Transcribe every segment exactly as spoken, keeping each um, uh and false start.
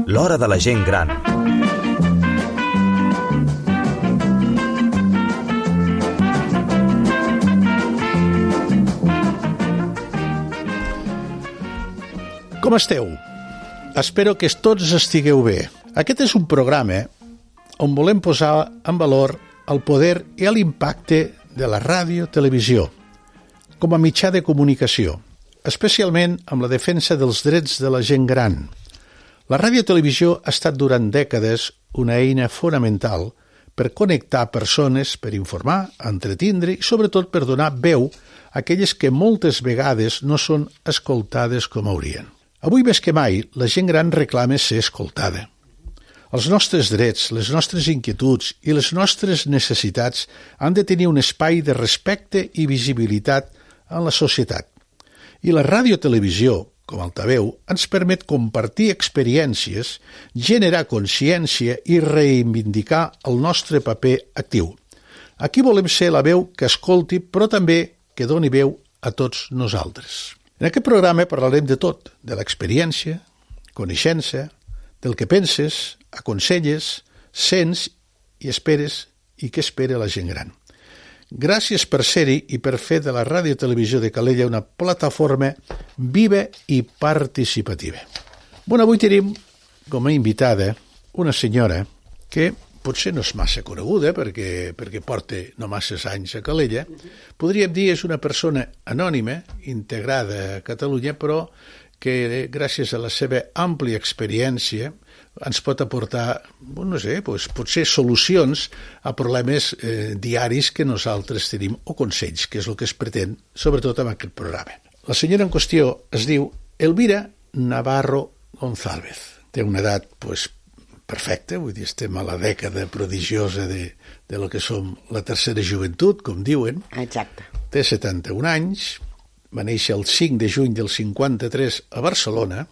L'hora de la gent gran. Com esteu? Espero que tots estigueu bé. Aquest és un programa on volem posar en valor el poder i l'impacte de la ràdio-televisió com a mitjà de comunicació, especialment amb la defensa dels drets de la gent gran. La ràdio-televisió ha estat durant dècades una eina fonamental per connectar persones, per informar, entretindre i sobretot per donar veu a aquelles que moltes vegades no són escoltades com haurien. Avui més que mai, la gent gran reclama ser escoltada. Els nostres drets, les nostres inquietuds i les nostres necessitats han de tenir un espai de respecte i visibilitat en la societat. I la ràdio-televisió, com altaveu, ens permet compartir experiències, generar consciència i reivindicar el nostre paper actiu. Aquí volem ser la veu que escolti, però també que doni veu a tots nosaltres. En aquest programa parlarem de tot, de l'experiència, coneixença, del que penses, aconselles, sents i esperes i què espera la gent gran. Gràcies per ser-hi i per fer de la Ràdio Televisió de Calella una plataforma viva i participativa. Bueno, avui tenim com a invitada una senyora que potser no és massa coneguda perquè, perquè porta no masses anys a Calella. Podríem dir és una persona anònima, integrada a Catalunya, però que gràcies a la seva àmplia experiència ens pot aportar, no sé, doncs, potser solucions a problemes eh, diaris que nosaltres tenim, o consells, que és el que es pretén, sobretot amb aquest programa. La senyora en qüestió es diu Elvira Navarro González. Té una edat, doncs, perfecta, vull dir, estem a la dècada prodigiosa de, de lo que som la tercera joventut, com diuen. Exacte. Té setanta-un anys, va néixer el cinc de juny del cinquanta-tres a Barcelona,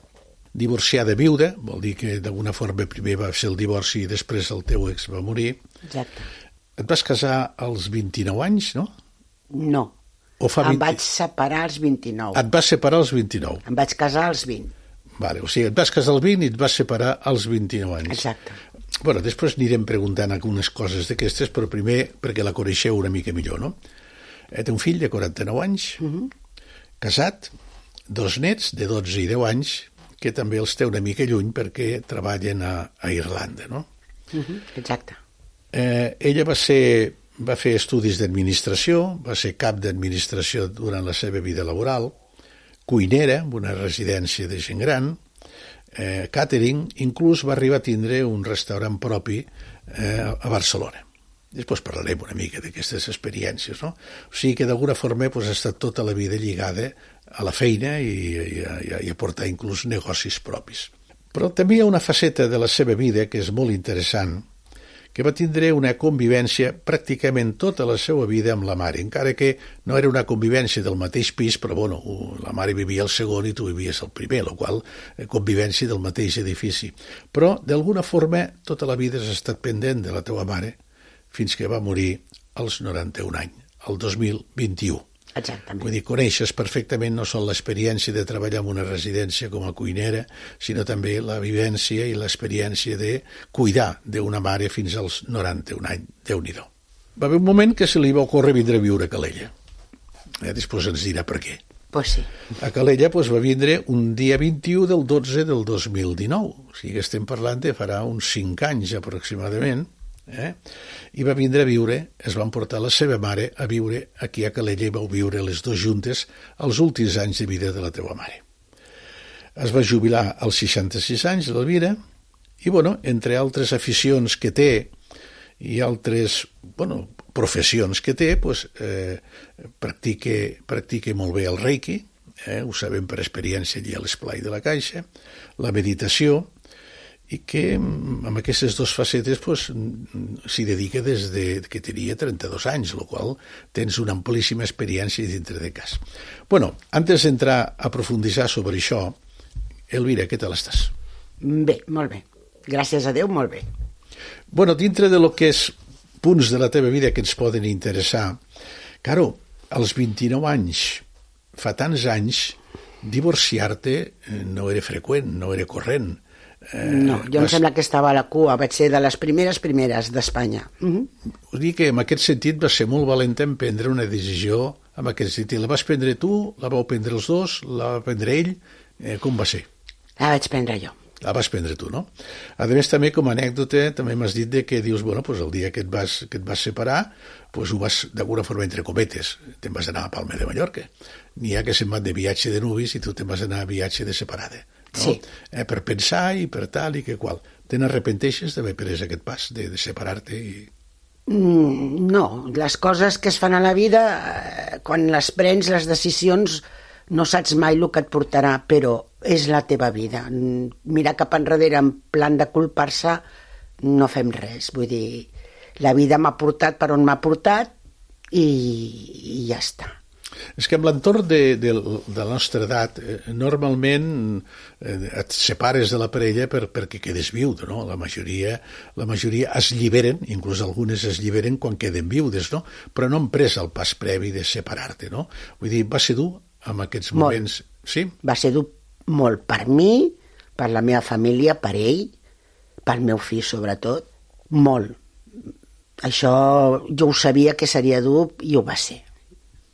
divorciada viuda, vol dir que d'alguna forma primer va fer el divorci i després el teu ex va morir. Exacte. Et vas casar als vint-i-nou anys, no? No, O fa em vint... vaig separar als vint-i-nou. Et vas separar als vint-i-nou. Em vaig casar als vint. Vale, o sigui, et vas casar als vint i et vas separar als vint-i-nou anys. Exacte. Bueno, després anirem preguntant algunes coses d'aquestes, però primer perquè la coneixeu una mica millor, no? Eh, té un fill de quaranta-nou anys, uh-huh. casat, dos nets de dotze i deu anys, que també els té una mica lluny perquè treballen a, a Irlanda, no? Uh-huh. Exacte. Eh, ella va ser, va fer estudis d'administració, va ser cap d'administració durant la seva vida laboral, cuinera en una residència de gent gran, eh, catering, inclús va arribar a tindre un restaurant propi eh, a Barcelona. Després parlarem una mica d'aquestes experiències, no? O sigui que d'alguna forma pues, ha estat tota la vida lligada a la feina i, i, a, i a portar inclús negocis propis. Però també hi ha una faceta de la seva vida que és molt interessant, que va tindre una convivència pràcticament tota la seva vida amb la mare, encara que no era una convivència del mateix pis, però bueno, la mare vivia al segon i tu vivies al primer, la qual convivència del mateix edifici. Però, d'alguna forma, tota la vida has estat pendent de la teva mare fins que va morir als noranta-un anys, el dos mil vint-i-u. Exactament. Vull dir, coneixes perfectament no sols l'experiència de treballar en una residència com a cuinera, sinó també la vivència i l'experiència de cuidar d'una mare fins als noranta-un anys. Déu-n'hi-do. Va haver un moment que se li va ocórrer vindre a viure a Calella. Eh, després ens dirà per què. Pues sí. A Calella pues, va vindre un dia vint-i-u del dotze del dos mil dinou. O sigui que estem parlant de farà uns cinc anys aproximadament. Eh? I va vindre a viure, es van portar la seva mare a viure aquí a Calella i vau viure les dues juntes els últims anys de vida de la teva mare. Es va jubilar als seixanta-sis anys, l'Elvira, i bueno, entre altres aficions que té i altres bueno, professions que té, pues, eh, practica, practica molt bé el reiki, eh? Ho sabem per experiència allà a l'Esplai de la Caixa, la meditació, i que amb aquestes dues facetes pues, s'hi dedica des de que tenia trenta-dos anys, el qual tens una amplíssima experiència dintre de cas. Bueno, antes d'entrar a profunditzar sobre això, Elvira, què tal estàs? Bé, molt bé. Gràcies a Déu, molt bé. Bueno, dintre de lo que és punts de la teva vida que ens poden interessar, claro, als vint-i-nou anys, fa tants anys, divorciar-te no era freqüent, no era corrent. Eh, no, jo vas... em sembla que estava a la cua, vaig ser de les primeres primeres d'Espanya. Uh-huh. Vull dir que en aquest sentit vas ser molt valenta en prendre una decisió en aquest sentit. La vas prendre tu, la vau prendre els dos, la va prendre ell, eh, com va ser? La vaig prendre jo. La vas prendre tu, no? A més, també, com a anècdota, també m'has dit de que dius, bueno, pues el dia que et vas, que et vas separar, pues ho vas, d'alguna forma, entre cometes, te'n vas anar a Palma de Mallorca. N'hi ha que se'n van de viatge de nuvis i tu te'n vas anar a viatge de separada. No? Sí. Eh, per pensar i per tal i que qual. Te n'arrepenteixes d'haver pres aquest pas, de, de separar-te i... Mm, no, les coses que es fan a la vida, eh, quan les prens, les decisions, no saps mai el que et portarà, però és la teva vida. Mirar cap enrere en plan de culpar-se, no fem res. Vull dir, la vida m'ha portat per on m'ha portat i, i ja està. És que amb l'entorn de, de, de la nostra edat, eh, normalment eh, et separes de la parella per, perquè quedes viudo, no? La majoria, la majoria es lliberen, inclús algunes es lliberen quan queden viudes, no? Però no han pres el pas previ de separar-te, no? Vull dir, va ser dur en aquests moments... Molt. Sí? Va ser dur molt per mi, per la meva família, per ell, pel meu fill sobretot, molt. Això jo ho sabia que seria dur i ho va ser.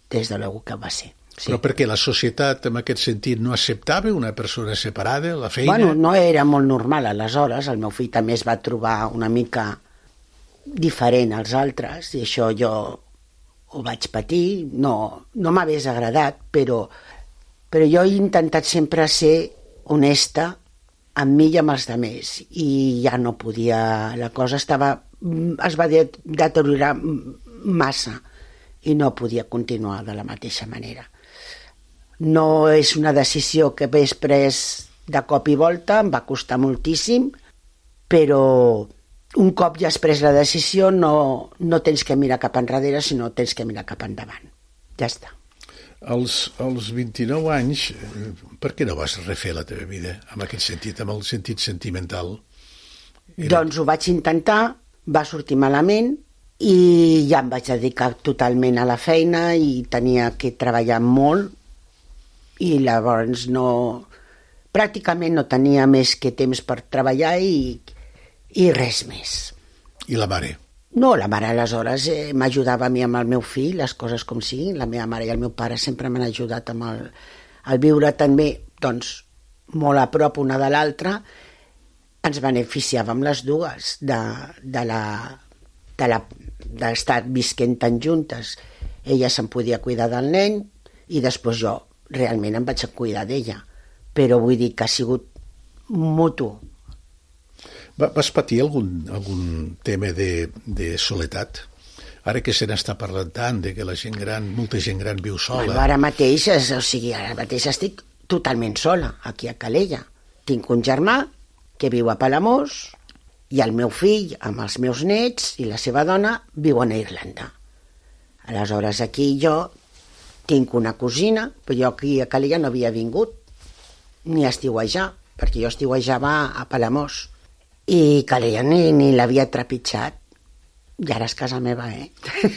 Des de l'algú que va ser. Sí. Però perquè la societat en aquest sentit no acceptava una persona separada, la feina... Bueno, no era molt normal aleshores, el meu fill també es va trobar una mica diferent als altres i això jo ho vaig patir, no, no m'hagués agradat, però, però jo he intentat sempre ser honesta amb mi i amb els altres i ja no podia, la cosa estava, es va deteriorar massa i no podia continuar de la mateixa manera. No és una decisió que hagués pres de cop i volta, em va costar moltíssim, però un cop ja has pres la decisió no, no tens que mirar cap enrere, sinó tens que mirar cap endavant. Ja està. Als, als vint-i-nou anys, per què no vas refer la teva vida en aquest sentit, amb el sentit sentimental? Era... Doncs ho vaig intentar, va sortir malament, i ja em vaig dedicar totalment a la feina i tenia que treballar molt i llavors no, pràcticament no tenia més que temps per treballar i, i res més. I la mare? No, la mare aleshores eh, m'ajudava a mi amb el meu fill, les coses com siguin, la meva mare i el meu pare sempre m'han ajudat amb el, el viure també, doncs, molt a prop una de l'altra, ens beneficiàvem les dues de, de la de la d'estar visquent tan juntes. Ella se'n podia cuidar del nen i després jo realment em vaig a cuidar d'ella. Però vull dir que ha sigut mutu. Vas patir algun, algun tema de, de soledat? Ara que se n'està parlant tant, de que la gent gran, molta gent gran viu sola... Bueno, ara mateix, o sigui, ara mateix estic totalment sola, aquí a Calella. Tinc un germà que viu a Palamós, i el meu fill, amb els meus nets i la seva dona, viuen a Irlanda. Aleshores, aquí jo tinc una cosina, però jo aquí a Calella no havia vingut, ni a estiuejar, perquè jo estiuejava a Palamós. I Calella ni, ni l'havia trepitjat. I ara és casa meva, eh?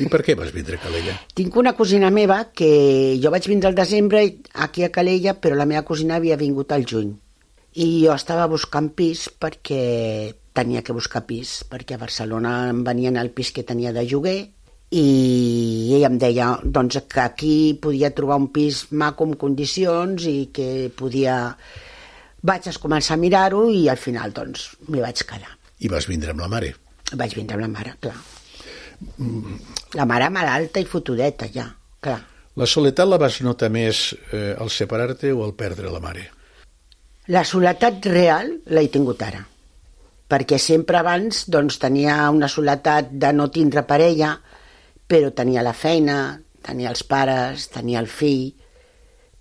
I per què vas vindre a Calella? Tinc una cosina meva que jo vaig vindre al desembre aquí a Calella, però la meva cosina havia vingut al juny. I jo estava buscant pis perquè tenia que buscar pis, perquè a Barcelona em venien al pis que tenia de lloguer i ella em deia doncs, que aquí podia trobar un pis maco amb condicions i que podia... Vaig començar a mirar-ho i al final doncs m'hi vaig quedar. I vas vindre amb la mare? Vaig vindre amb la mare, clar. La mare malalta i fotudeta, ja, clar. La soledat la vas notar més eh, al separar-te o al perdre la mare? La soledat real l'he tingut ara, perquè sempre abans doncs, tenia una soledat de no tindre parella, però tenia la feina, tenia els pares, tenia el fill,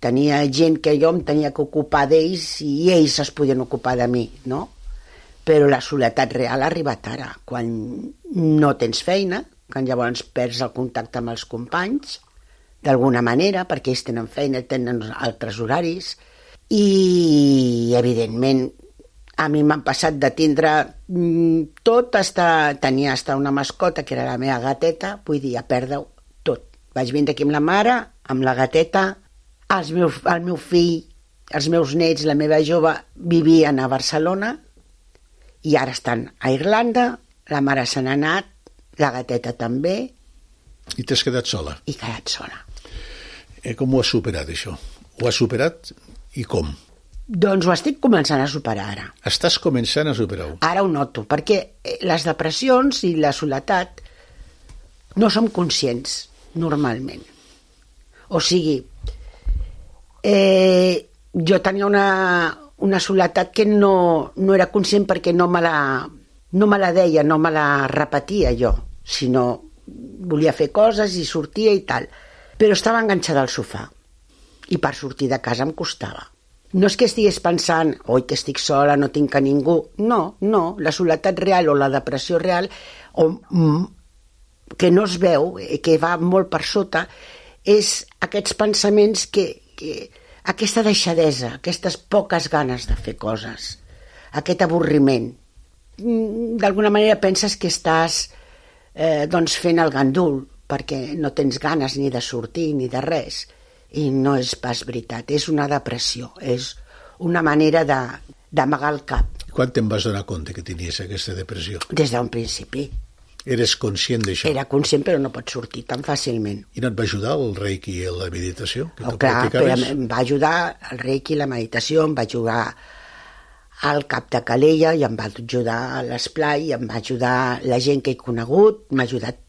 tenia gent que jo em tenia que ocupar d'ells i ells es podien ocupar de mi, no? Però la soledat real ha arribat ara, quan no tens feina, quan llavors perds el contacte amb els companys, d'alguna manera, perquè ells tenen feina, tenen altres horaris, i evidentment a mi m'han passat de tindre tot, hasta, tenia hasta una mascota que era la meva gateta, vull dir, a perdre tot. Vaig vindre aquí amb la mare, amb la gateta, el meu, el meu fill els meus nets, la meva jove, vivien a Barcelona i ara estan a Irlanda, la mare se n'ha anat, la gateta també. I t'has quedat sola? I quedat sola. Eh, com ho has superat, això? Ho has superat i com? Doncs ho estic començant a superar ara. Estàs començant a superar-ho? Ara ho noto, perquè les depressions i la soledat no som conscients, normalment. O sigui, eh, jo tenia una, una soledat que no, no era conscient perquè no me la, no me la deia, no me la repetia jo, sinó volia fer coses i sortia i tal. Però estava enganxada al sofà i per sortir de casa em costava. No és que estigués pensant, oi, que estic sola, no tinc a ningú. No, no, la soledat real o la depressió real, o, mm, que no es veu, que va molt per sota, és aquests pensaments que, que aquesta deixadesa, aquestes poques ganes de fer coses, aquest avorriment. D'alguna manera penses que estàs eh, doncs fent el gandul, perquè no tens ganes ni de sortir ni de res. I no és pas veritat, és una depressió, és una manera de, d'amagar el cap. Quan te'n vas donar compte que tenies aquesta depressió? Des d'un principi. Eres conscient d'això? Era conscient, però no pots sortir tan fàcilment. I no et va ajudar el reiki i la meditació? Que oh, clar, però em va ajudar el reiki i la meditació, em va ajudar al cap de Calella, i em va ajudar a l'esplai, em va ajudar la gent que he conegut, m'ha ajudat.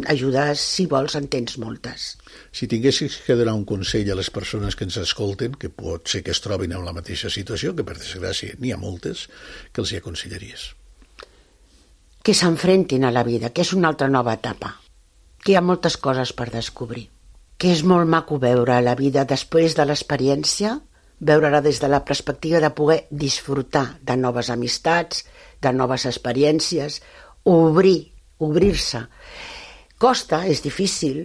Ajudes, si vols, en tens moltes. Si tinguessis que donar un consell a les persones que ens escolten, que pot ser que es trobin en la mateixa situació, que per desgràcia n'hi ha moltes, que els hi aconsellaries? Que s'enfrentin a la vida, que és una altra nova etapa, que hi ha moltes coses per descobrir, que és molt maco veure la vida després de l'experiència, veure-la des de la perspectiva de poder disfrutar de noves amistats, de noves experiències, obrir, obrir-se. Costa, és difícil,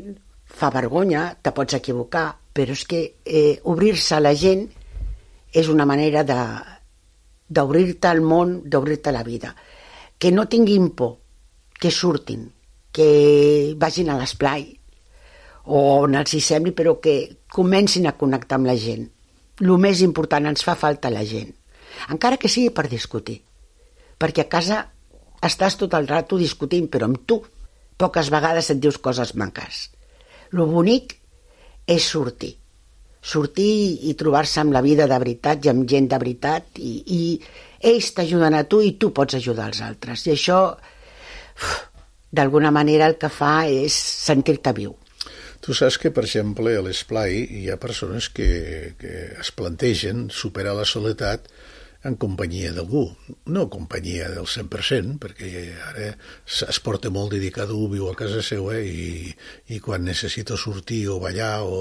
fa vergonya, te pots equivocar, però és que eh, obrir-se a la gent és una manera de, d'obrir-te al món, d'obrir-te a la vida. Que no tinguin por, que surtin, que vagin a l'esplai, o on els hi sembli, però que comencin a connectar amb la gent. El més important, ens fa falta la gent. Encara que sigui per discutir, perquè a casa estàs tot el rato discutint, però amb tu. Poques vegades et dius coses maques. Lo bonic és sortir. Sortir i trobar-se amb la vida de veritat i amb gent de veritat, i, i ells t'ajuden a tu i tu pots ajudar als altres. I això, uf, d'alguna manera, el que fa és sentir-te viu. Tu saps que, per exemple, a l'esplai hi ha persones que, que es plantegen superar la soledat en companyia d'algú, no companyia del cent per cent, perquè ara es porta molt de dir cada un viu a casa seva i, i quan necessito sortir o ballar o,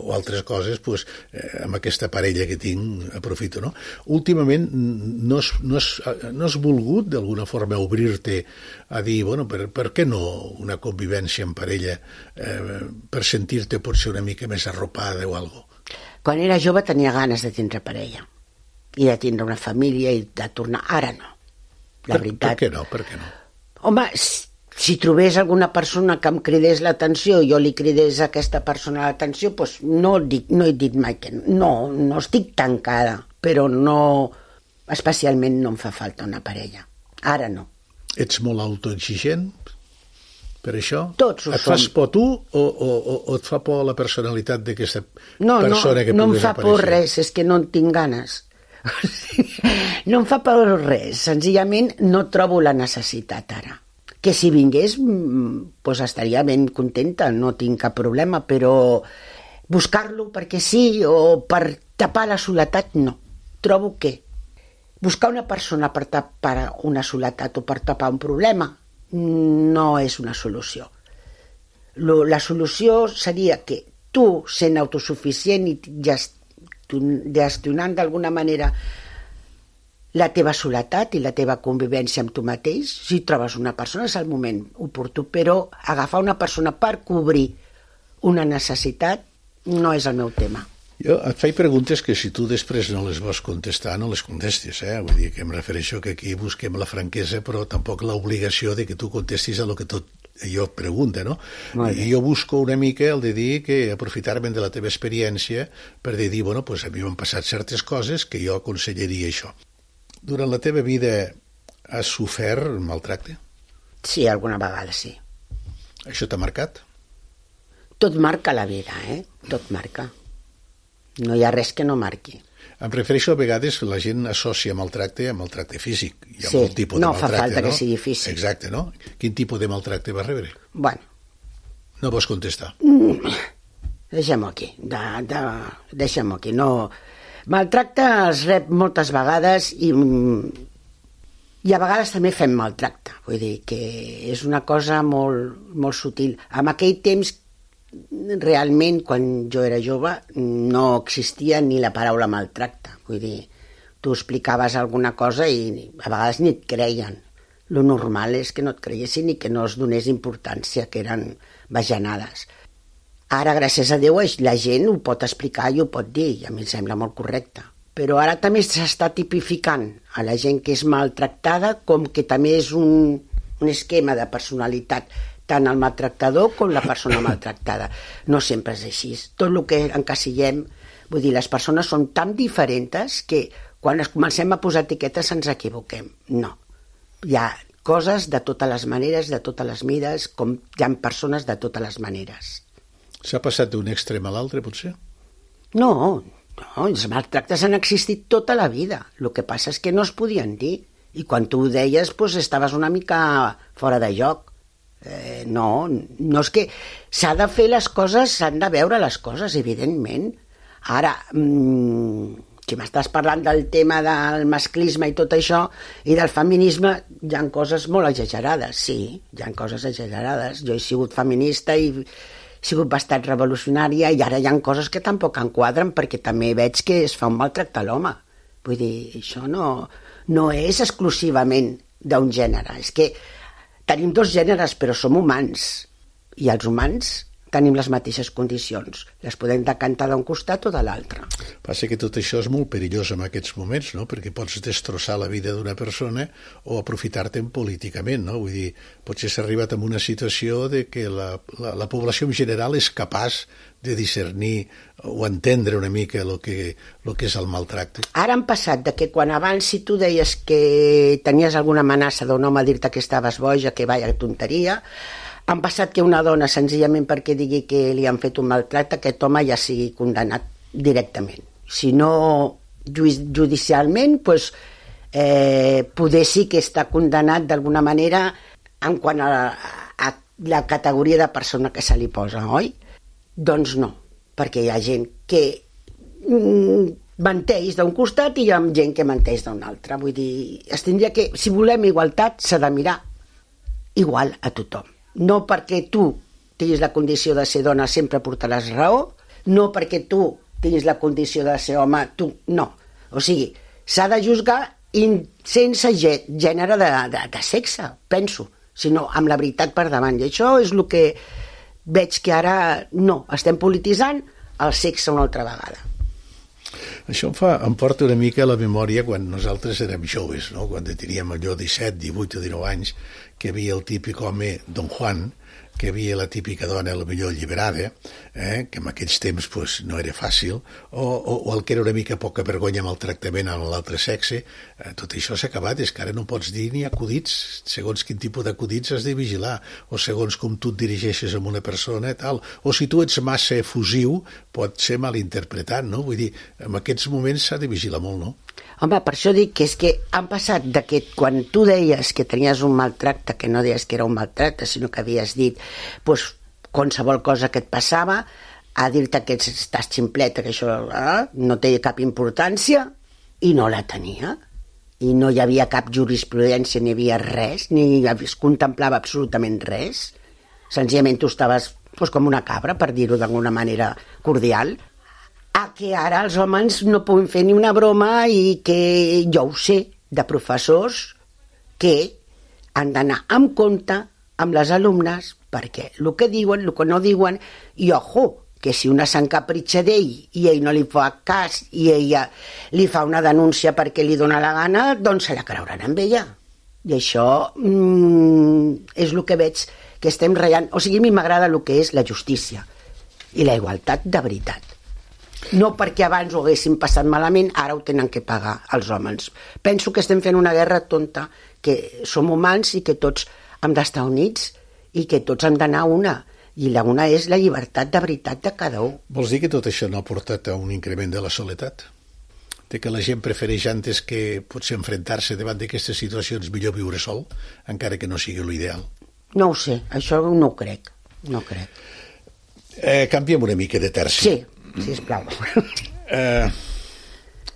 o altres coses, pues, eh, amb aquesta parella que tinc aprofito, no? Últimament no has, no has, no has volgut d'alguna forma obrir-te a dir, bueno, per, per què no una convivència en parella eh, per sentir-te potser una mica més arropada o alguna cosa? Quan era jove tenia ganes de tindre parella i de tindre una família i de tornar. Ara no, la per, veritat. Per què no? Per què no? Home, si, si trobés alguna persona que em cridés l'atenció i jo li cridés a aquesta persona l'atenció, doncs no, dic, no he dit mai que no. No, no estic tancada, però no, especialment no em fa falta una parella. Ara no. Ets molt autoexigent per això? Tots ho et fas som. por tu o, o, o et fa por la personalitat d'aquesta no, persona no, que no puguis aparèixer? No em fa por res, és que no en tinc ganes. No em fa por res, senzillament no trobo la necessitat ara. Que si vingués, doncs estaria ben contenta, no tinc cap problema, però buscar-lo perquè sí o per tapar la soledat, no. Trobo que buscar una persona per tapar una soledat o per tapar un problema no és una solució. La solució seria que tu, sent autosuficient i gest gestionant d'alguna manera la teva soledat i la teva convivència amb tu mateix, si trobes una persona és el moment oportú, però agafar una persona per cobrir una necessitat no és el meu tema. Jo et faig preguntes que si tu després no les vols contestar, no les contestis, eh? Vull dir que em refereixo que aquí busquem la franquesa, però tampoc l'obligació de que tu contestis a lo que tot jo pregunto, no? I jo busco una mica el de dir que aprofitar-me de la teva experiència per de dir, bueno, pues a mi m'han passat certes coses que jo aconsellaria això. Durant la teva vida has sofert maltracte? Sí, alguna vegada sí. Això t'ha marcat? Tot marca la vida, eh? Tot marca. No hi ha res que no marqui. Em refereixo a vegades la gent associa maltracte a maltracte físic. Hi ha sí, molt tipus no de fa maltracte, falta no? que sigui físic. Exacte, no? Quin tipus de maltracte vas rebre? Bueno. No vols contestar? Mm, deixem-ho aquí. De, de, deixem-ho aquí. No... Maltracte es rep moltes vegades i, i a vegades també fem maltracte. Vull dir que és una cosa molt, molt sutil. En aquell temps realment, quan jo era jove, no existia ni la paraula maltracte. Vull dir, tu explicaves alguna cosa i a vegades ni et creien. Lo normal és que no et creiessin i que no es donés importància, que eren bajanades. Ara, gràcies a Déu, la gent ho pot explicar i ho pot dir, i a mi em sembla molt correcte. Però ara també s'està tipificant a la gent que és maltractada com que també és un, un esquema de personalitat, tant el maltractador com la persona maltractada. No sempre és així. Tot el que encasillem, vull dir, les persones són tan diferents que quan es comencem a posar etiquetes ens equivoquem. No. Hi ha coses de totes les maneres, de totes les mides, com hi ha persones de totes les maneres. S'ha passat d'un extrem a l'altre, potser? No, no, els maltractes han existit tota la vida. El que passa és que no es podien dir. I quan tu ho deies, doncs, estaves una mica fora de lloc. Eh, no, no és que s'ha de fer les coses, s'han de veure les coses, evidentment. Ara, mmm, si m'estàs parlant del tema del masclisme i tot això, i del feminisme, hi ha coses molt exagerades, sí, hi ha coses exagerades. Jo he sigut feminista i he sigut bastant revolucionària i ara hi ha coses que tampoc enquadren perquè també veig que es fa un maltracte a l'home. Vull dir, això no, no és exclusivament d'un gènere, és que tenim dos gèneres, però som humans. I els humans tenim les mateixes condicions. Les podem decantar d'un costat o de l'altre. Passa que tot això és molt perillós en aquests moments, no? Perquè pots destrossar la vida d'una persona o aprofitar-te'n políticament, no? Vull dir, potser s'ha arribat a una situació de que la, la, la població en general és capaç de discernir o entendre una mica el que, el que és el maltracte. Ara han passat de que quan abans si tu deies que tenies alguna amenaça d'un home a dir-te que estaves boja, que vaya tonteria, han passat que una dona, senzillament perquè digui que li han fet un maltracte, aquest home ja sigui condemnat directament. Si no judicialment, doncs, eh, poder sí que està condemnat d'alguna manera en quant a, a la categoria de persona que se li posa, oi? Doncs no, perquè hi ha gent que menteix d'un costat i hi ha gent que menteix d'un altre. Vull dir, es tindria que, si volem igualtat, s'ha de mirar igual a tothom. No perquè tu tinguis la condició de ser dona sempre portaràs raó, no perquè tu tinguis la condició de ser home, tu no. O sigui, s'ha de juzgar sense gènere de, de, de sexe, penso, sinó amb la veritat per davant. I això és el que veig que ara no, estem polititzant el sexe una altra vegada. Això em, fa, em porta una mica a la memòria quan nosaltres érem joves, no? Quan teníem allò disset, divuit o dinou anys, que hi havia el típic home Don Juan, que hi havia la típica dona, potser alliberada, eh? Que en aquells temps pues, no era fàcil, o, o, o el que era una mica poca vergonya amb el tractament a l'altre sexe. Eh, tot això s'ha acabat, és que ara no pots dir ni acudits, segons quin tipus d'acudits has de vigilar, o segons com tu et dirigeixes a una persona, tal. O si tu ets massa efusiu, pot ser malinterpretat, no? Vull dir, en aquests moments s'ha de vigilar molt, no? Home, per això dic que és que han passat de que quan tu deies que tenies un maltracte, que no deies que era un maltracte, sinó que havies dit pues, qualsevol cosa que et passava, a dir-te que estàs ximpleta, que això eh, no té cap importància, i no la tenia. I no hi havia cap jurisprudència, ni hi havia res, ni es contemplava absolutament res. Senzillament tu estaves pues, com una cabra, per dir-ho d'alguna manera cordial, a que ara els homes no puguin fer ni una broma i que jo ho sé de professors que han d'anar amb compte amb les alumnes perquè el que diuen, el que no diuen, i ojo, que si una s'encapritxa d'ell i ell no li fa cas i ella li fa una denúncia perquè li dona la gana, doncs se la creuran amb ella. I això mm, és el que veig que estem ratllant. O sigui, a mi m'agrada el que és la justícia i la igualtat de veritat. No perquè abans ho haguessin passat malament, ara ho tenen que pagar els homes. Penso que estem fent una guerra tonta, que som humans i que tots hem d'estar units i que tots hem d'anar a una. I la una és la llibertat de veritat de cada un. Vols dir que tot això no ha portat a un increment de la soledat? De que la gent prefereix antes que potser enfrontar-se davant d'aquestes situacions millor viure sol, encara que no sigui l'ideal? No ho sé, això no ho crec. No ho crec. Eh, canviem una mica de terci. Sí. Sisplau. Eh,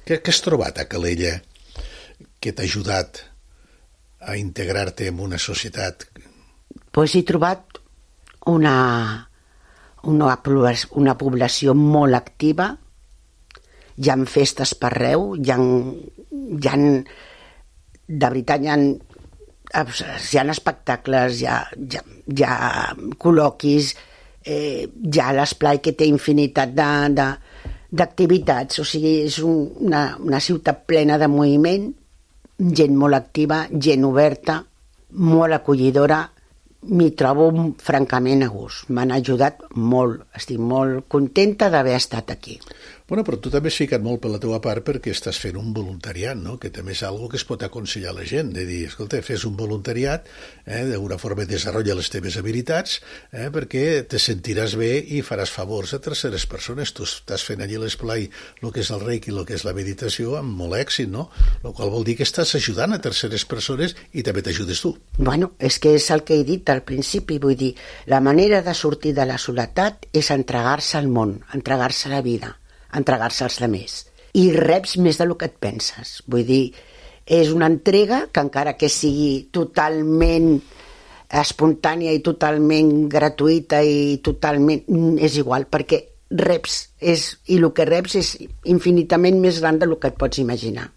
què, què has trobat a Calella que t'ha ajudat a integrar-te en una societat? Pues he trobat una, una, una població molt activa, hi ha festes per arreu, hi ha, hi ha, de veritat hi ha, hi ha espectacles, hi ha, hi ha, hi ha col·loquis, Eh, ja l'esplai que té infinitat d'activitats, o sigui, és un, una, una ciutat plena de moviment, gent molt activa, gent oberta, molt acollidora, m'hi trobo francament a gust. M'han ajudat molt, estic molt contenta d'haver estat aquí. Bueno, però tu també has ficat molt per la teva part perquè estàs fent un voluntariat, no? Que també és algo que es pot aconsellar a la gent, de dir, escolta, fes un voluntariat, eh, d'alguna forma desenvolupa les teves habilitats, eh, perquè te sentiràs bé i faràs favors a terceres persones. Tu estàs fent allí l'esplai, el que és el reiki, el que és la meditació, amb molt èxit, no? El qual vol dir que estàs ajudant a terceres persones i també t'ajudes tu. Bueno, és que és el que he dit al principi, vull dir, la manera de sortir de la soledat és entregar-se al món, entregar-se a la vida, entregar-se als altres. I reps més del que et penses. Vull dir, és una entrega que encara que sigui totalment espontània i totalment gratuïta i totalment... és igual, perquè reps, és, i el que reps és infinitament més gran del que et pots imaginar.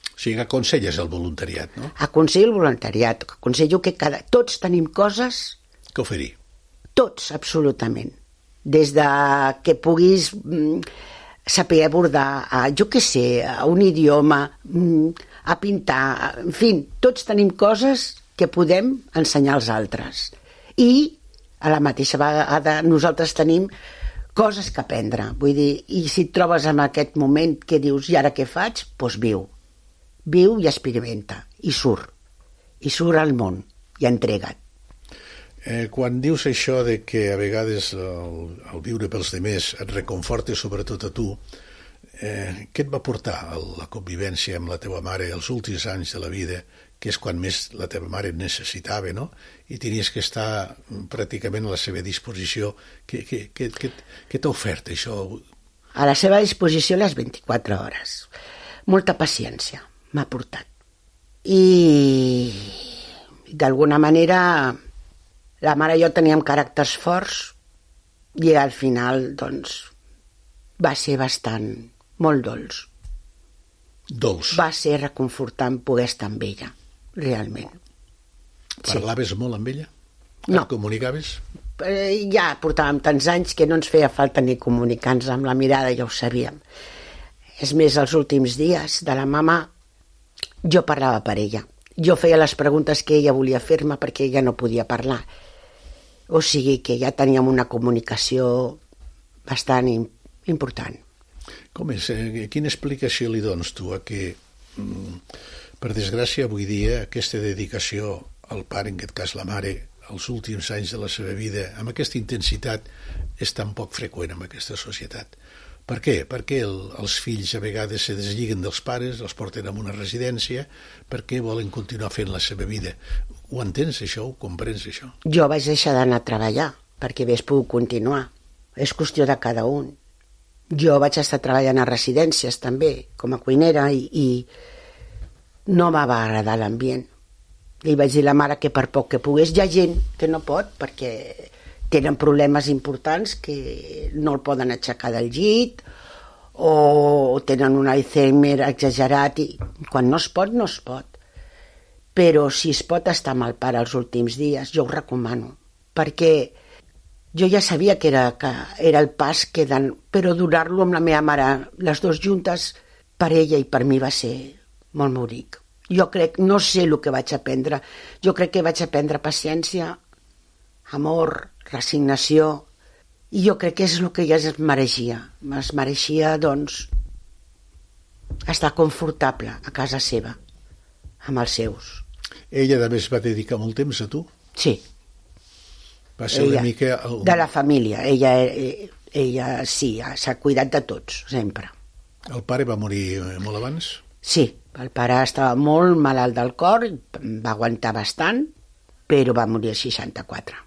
O sigui que aconselles el voluntariat, no? Aconsello el voluntariat, aconsello que cada... tots tenim coses... Que oferir. Tots, absolutament. Des de que puguis... saber abordar, a, jo què sé, a un idioma, a pintar, en fi, tots tenim coses que podem ensenyar als altres. I a la mateixa vegada nosaltres tenim coses que aprendre. Vull dir, i si et trobes en aquest moment que dius, i ara què faig? Doncs viu. Viu i experimenta. I surt. I surt al món. I entrega't. Eh, quan dius això de que a vegades el, el viure pels demés et reconforta sobretot a tu, eh, què et va portar la convivència amb la teva mare els últims anys de la vida, que és quan més la teva mare et necessitava, no? I tenies que estar pràcticament a la seva disposició. Què, què, què, què, què t'ha ofert això? A la seva disposició les vint-i-quatre hores. Molta paciència m'ha portat. I d'alguna manera... la mare i jo teníem caràcters forts i al final, doncs, va ser bastant, molt dolç. Dolç? Va ser reconfortant poder estar amb ella, realment. Parlaves sí. molt amb ella? No. Et comunicaves? Eh, ja portàvem tants anys que no ens feia falta ni comunicar-nos amb la mirada, ja ho sabíem. És més, els últims dies de la mama jo parlava per ella. Jo feia les preguntes que ella volia fer-me perquè ella no podia parlar. O sigui que ja teníem una comunicació bastant important. Com és? Quina explicació li dones tu a que, per desgràcia, avui dia, aquesta dedicació al pare, en aquest cas la mare, els últims anys de la seva vida, amb aquesta intensitat, és tan poc freqüent en aquesta societat? Per què? Perquè el, els fills a vegades se deslliguen dels pares, els porten a una residència, perquè volen continuar fent la seva vida. Ho entens, això? Ho comprens, això? Jo vaig deixar d'anar a treballar perquè hagués pogut continuar. És qüestió de cada un. Jo vaig estar treballant a residències també, com a cuinera, i, i no m'ha agradar l'ambient. Li vaig dir a la mare que per poc que pogués, hi ha gent que no pot perquè tenen problemes importants que no el poden aixecar del llit o tenen un Alzheimer exagerat i quan no es pot, no es pot. Però si es pot estar amb el pare els últims dies, jo ho recomano, perquè jo ja sabia que era, que era el pas que dan, però durar-lo amb la meva mare, les dues juntes, per ella i per mi va ser molt bonic. Jo crec, no sé el que vaig aprendre, jo crec que vaig aprendre paciència, amor, resignació, i jo crec que és el que ella es mereixia. Es mereixia, doncs, estar confortable a casa seva, amb els seus. Ella també es va dedicar molt temps a tu? Sí. Va ser ella, una mica... El... De la família. Ella, ella sí, s'ha cuidat de tots, sempre. El pare va morir molt abans? Sí, el pare estava molt malalt del cor, va aguantar bastant, però va morir als seixanta-quatre.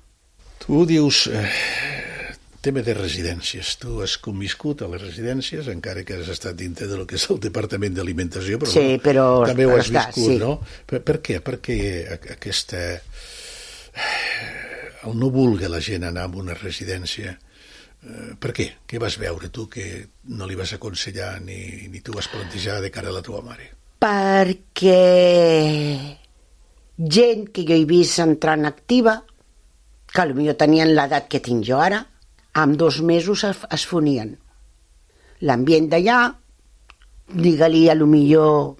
Tu dius... Eh... tema de residències. Tu has conviscut a les residències, encara que has estat dintre del que és el Departament d'Alimentació, però, sí, però també ho has està, viscut, sí. no? Per, per què? Per què aquesta... el no vulgui la gent anar a una residència? Per què? Què vas veure tu que no li vas aconsellar ni, ni tu vas plantejar de cara a la teva mare? Perquè gent que jo he vist entrant activa, que potser tenien l'edat que tinc jo ara, en dos mesos es fonien. L'ambient d'allà, digue-li a lo millor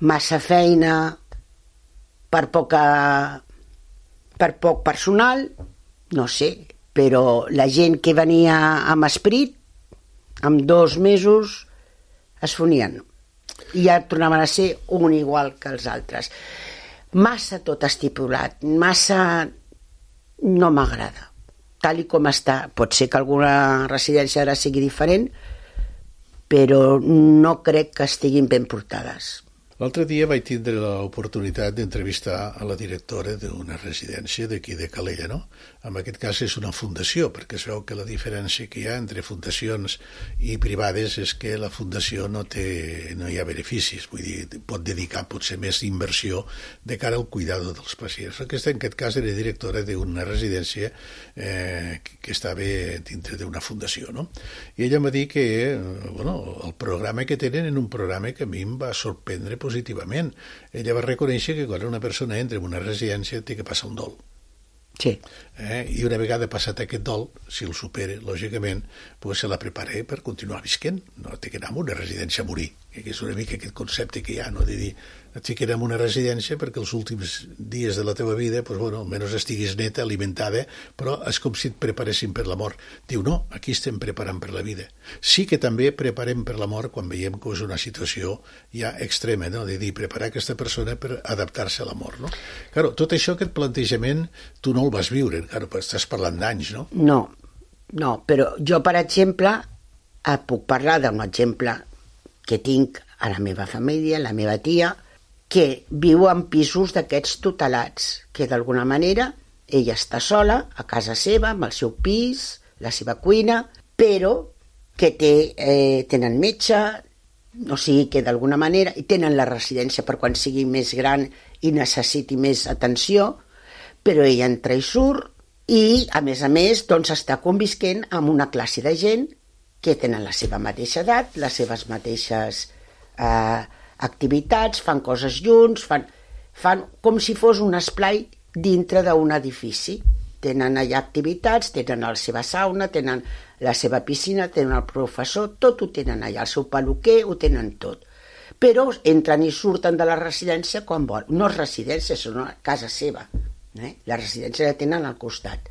massa feina per poca per poc personal, no sé, però la gent que venia amb esperit, en dos mesos es fonien i ja tornaven a ser un igual que els altres. Massa tot estipulat, massa no m'agrada. Tal i com està. Pot ser que alguna residència ara sigui diferent, però no crec que estiguin ben portades. L'altre dia vaig tindre l'oportunitat d'entrevistar a la directora d'una residència d'aquí de Calella, no? En aquest cas és una fundació, perquè es veu que la diferència que hi ha entre fundacions i privades és que la fundació no té, no hi ha beneficis, vull dir, pot dedicar potser més inversió de cara al cuidado dels pacients. Aquesta, en aquest cas, era directora d'una residència eh, que estava dintre d'una fundació, no? I ella em va dir que eh, bueno, el programa que tenen era un programa que a mi em va sorprendre positivament. Ella va reconèixer que quan una persona entra en una residència té que passar un dol. Sí. Eh? I una vegada passat aquest dol, si el supera, lògicament, pues se la prepara per continuar visquent. No té que anar a una residència a morir, que és una mica aquest concepte que hi ha, no? De dir, et ficarem en una residència perquè els últims dies de la teva vida, pues, bueno, almenys estiguis neta, alimentada, però és com si et preparessin per la mort. Diu, no, aquí estem preparant per la vida. Sí que també preparem per la mort quan veiem que és una situació ja extrema, no? De dir, preparar aquesta persona per adaptar-se a la mort, no? Claro, tot això, aquest plantejament, tu no el vas viure, claro, estàs parlant d'anys, no? No, no, però jo, per exemple, puc parlar d'un exemple que tinc a la meva família, la meva tia, que viu en pisos d'aquests tutelats, que d'alguna manera ella està sola, a casa seva, amb el seu pis, la seva cuina, però que té, eh, tenen metge, o sigui que d'alguna manera, i tenen la residència per quan sigui més gran i necessiti més atenció, però ella entra i surt, i a més a més doncs està convisquent amb una classe de gent que tenen la seva mateixa edat, les seves mateixes eh, activitats, fan coses junts, fan, fan com si fos un esplai dintre d'un edifici. Tenen allà activitats, tenen la seva sauna, tenen la seva piscina, tenen el professor, tot ho tenen allà, el seu peluquer, ho tenen tot. Però entren i surten de la residència quan volen. No és residència, és una casa seva. Eh? La residència la tenen al costat.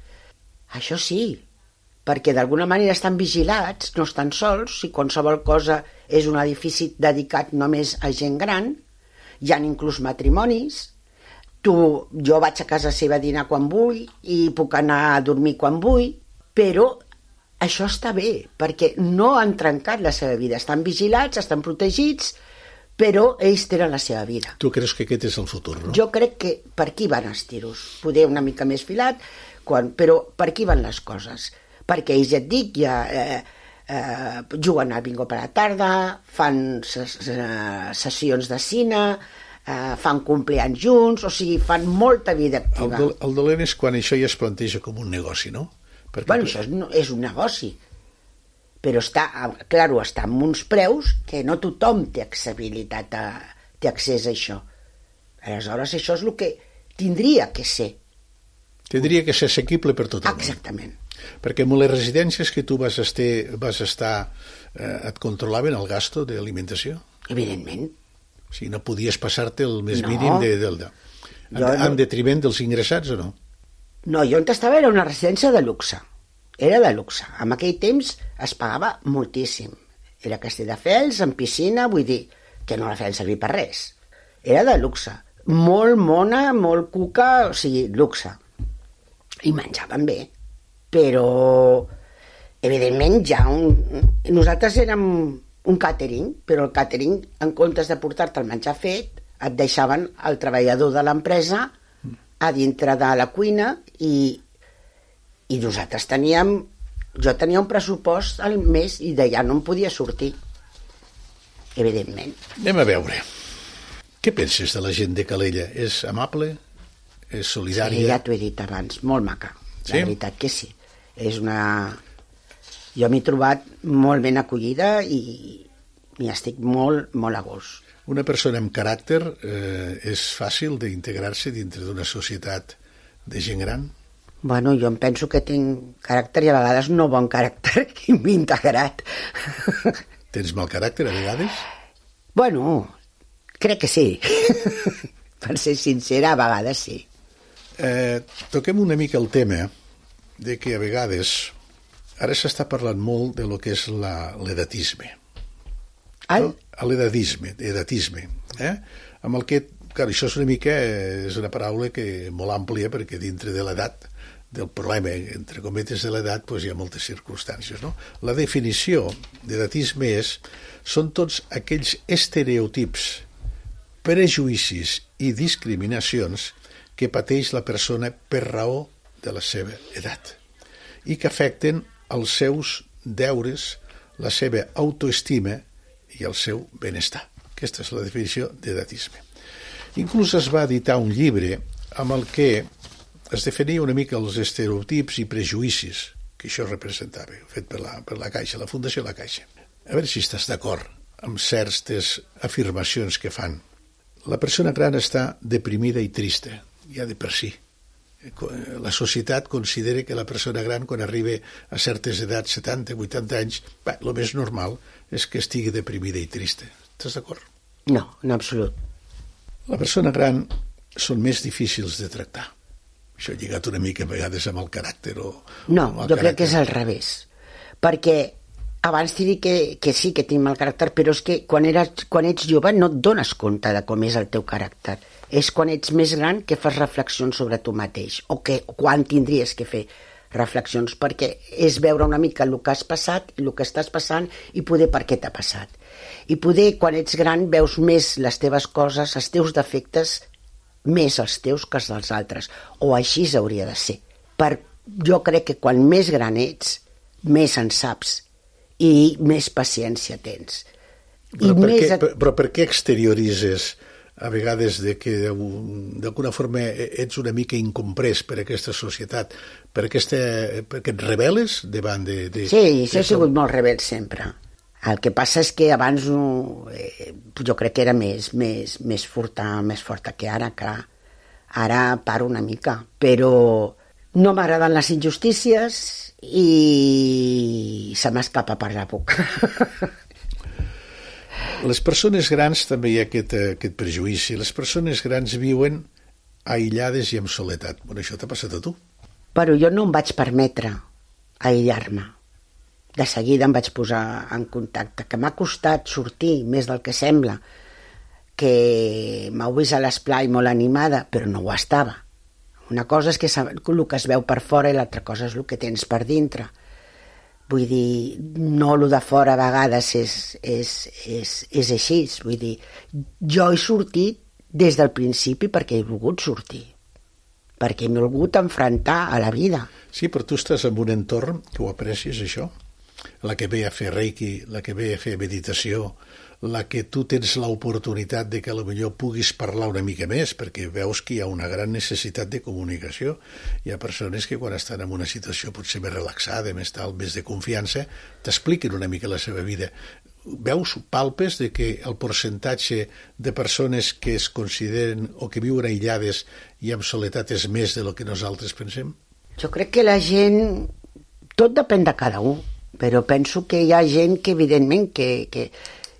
Això sí, perquè d'alguna manera estan vigilats, no estan sols, si qualsevol cosa és un edifici dedicat només a gent gran, hi ha inclús matrimonis, tu, jo vaig a casa seva a dinar quan vull i puc anar a dormir quan vull, però això està bé, perquè no han trencat la seva vida, estan vigilats, estan protegits, però ells tenen la seva vida. Tu creus que aquest és el futur, no? Jo crec que per aquí van els tiros, poder una mica més filat, quan, però per aquí van les coses. Perquè ells, ja et dic, ja eh, eh, juguen al bingo per la tarda, fan ses, eh, sessions de cine, eh, fan compleanys junts, o sigui, fan molta vida activa. El, el dolent és quan això ja es planteja com un negoci, no? Perquè bueno, això és, és un negoci, però està, claro, està amb uns preus que no tothom té accessibilitat a, té accés a això. Aleshores, això és el que tindria que ser. Tindria que ser assequible per tothom. Exactament. Perquè amb les residències que tu vas estar, vas estar eh, et controlaven el gasto d'alimentació? Evidentment. O sigui, no podies passar-te el més no. mínim de, del, de, en, jo, en detriment dels ingressats o no? No, jo on estava era una residència de luxe. Era de luxe. En aquell temps es pagava moltíssim. Era Castelldefels, amb piscina, vull dir que no la feien servir per res. Era de luxe. Molt mona, molt cuca, o sigui, luxe. I menjaven bé. Però, evidentment, ja un... nosaltres érem un càtering, però el càtering, en comptes de portar-te el menjar fet, et deixaven el treballador de l'empresa a dintre de la cuina i, i nosaltres teníem... Jo tenia un pressupost al mes i d'allà no em podia sortir, evidentment. Anem a veure. Què penses de la gent de Calella? És amable? És solidària? Sí, ja t'ho he dit abans, molt maca. Sí? La veritat que sí. És una... Jo m'he trobat molt ben acollida i, i estic molt, molt a gust. Una persona amb caràcter eh, és fàcil d'integrar-se dintre d'una societat de gent gran? Bueno, jo em penso que tinc caràcter i a vegades no bon caràcter i m'he integrat. Tens mal caràcter a vegades? Bueno, crec que sí. Per ser sincera, a vegades sí. Eh, toquem una mica el tema de que a vegades ara s'està parlant molt de lo que és la, l'edatisme. El? No? L'edatisme, edatisme. Eh? Amb el que, clar, això és una mica, és una paraula que molt àmplia perquè dintre de l'edat, del problema, entre cometes, de l'edat, doncs hi ha moltes circumstàncies, no? La definició d'edatisme és, són tots aquells estereotips, prejuïcis i discriminacions que pateix la persona per raó de la seva edat i que afecten els seus deures, la seva autoestima i el seu benestar. Aquesta és la definició d'edatisme. Inclús es va editar un llibre amb el que es definia una mica els estereotips i prejuïcis que això representava, fet per la, per la Caixa, la Fundació La Caixa. A veure si estàs d'acord amb certes afirmacions que fan. La persona gran està deprimida i trista, ja de per si. La societat considera que la persona gran, quan arriba a certes edats, setanta, vuitanta anys, bé, el més normal és que estigui deprimida i trista. Estàs d'acord? No, en absolut. La persona gran són més difícils de tractar. Això ha lligat una mica a vegades amb el caràcter o... No, amb el jo caràcter. crec que és al revés. Perquè abans t'he dit que, que sí, que tinc mal caràcter, però és que quan, eres, quan ets jove no et dones compte de com és el teu caràcter. És quan ets més gran que fas reflexions sobre tu mateix, o que o quan tindries que fer reflexions, perquè és veure una mica el que has passat, el que estàs passant i poder per què t'ha passat. I poder, quan ets gran, veus més les teves coses, els teus defectes, més els teus que els dels altres, o així hauria de ser. Per, jo crec que quan més gran ets, més en saps i més paciència tens. I però, per més... què, però per què exterioritzes a vegades de que d'alguna forma ets una mica incomprès per aquesta societat, per aquesta, perquè et rebel·les davant de... de sí, això de... he sigut molt rebel sempre. El que passa és que abans eh, jo crec que era més, més, més, forta, més forta que ara, que ara paro una mica, però no m'agraden les injustícies i se m'escapa per la boca. Les persones grans també hi ha aquest, aquest prejuïci. Les persones grans viuen aïllades i amb soledat. Bueno, això t'ha passat a tu. Però jo no em vaig permetre aïllar-me. De seguida em vaig posar en contacte, que m'ha costat sortir més del que sembla, que m'heu vist a l'esplai molt animada, però no ho estava. Una cosa és que el que es veu per fora i l'altra cosa és el que tens per dintre. Vull dir, no el de fora a vegades és, és, és, és així. Vull dir, jo he sortit des del principi perquè he volgut sortir, perquè m'he volgut enfrontar a la vida. Sí, però tu estàs en un entorn que ho aprecies, això? La que ve a fer reiki, la que ve a fer meditació, la que tu tens l'oportunitat de que potser puguis parlar una mica més, perquè veus que hi ha una gran necessitat de comunicació. Hi ha persones que quan estan en una situació potser més relaxada, més tal, més de confiança, t'expliquen una mica la seva vida. Veus, palpes, de que el percentatge de persones que es consideren o que viuen aïllades i amb soledat és més de lo que nosaltres pensem? Jo crec que la gent... Tot depèn de cada un, però penso que hi ha gent que, evidentment, que, que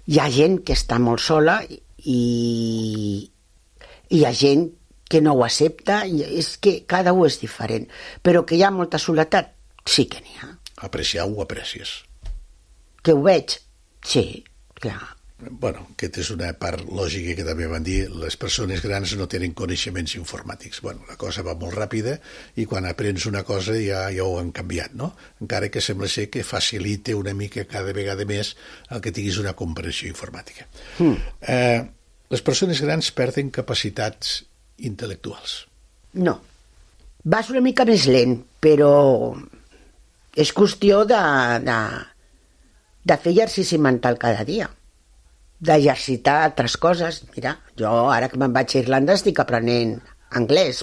hi ha gent que està molt sola i hi ha gent que no ho accepta, i és que cada un és diferent. Però que hi ha molta soledat, sí que n'hi ha. Apreciar ho aprecies. Que ho veig? Sí, clar. Bueno, aquesta és una part lògica que també van dir, les persones grans no tenen coneixements informàtics. Bueno, la cosa va molt ràpida i quan aprens una cosa ja, ja ho han canviat, no? Encara que sembla ser que facilita una mica cada vegada més el que tinguis una comprensió informàtica. Mm. Eh, les persones grans perden capacitats intel·lectuals. No. Vas una mica més lent, però és qüestió de, de, de fer exercici mental cada dia, d'exercitar altres coses. Mira, jo ara que me'n vaig a Irlanda estic aprenent anglès.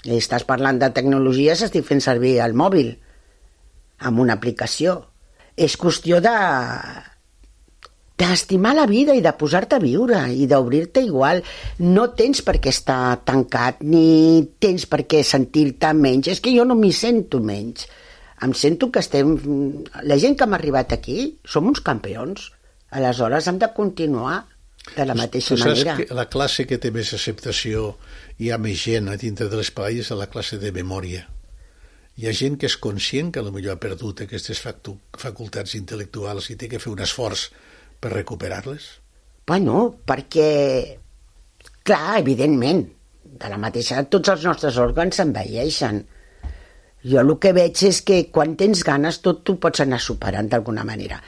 I estàs parlant de tecnologies, estic fent servir el mòbil amb una aplicació. És qüestió de d'estimar la vida i de posar-te a viure i d'obrir-te igual. No tens per què estar tancat ni tens per què sentir-te menys. És que jo no m'hi sento menys. Em sento que estem... La gent que hem arribat aquí som uns campions. Aleshores hem de continuar de la mateixa tu saps manera. Que la classe que té més acceptació, hi ha més gent a dintre de l'espai, és la classe de memòria. Hi ha gent que és conscient que potser ha perdut aquestes facultats intel·lectuals i té que fer un esforç per recuperar-les? Bueno, perquè, clar, evidentment, de la mateixa, tots els nostres òrgans s'envelleixen. Jo el que veig és que quan tens ganes tot tu pots anar superant d'alguna manera.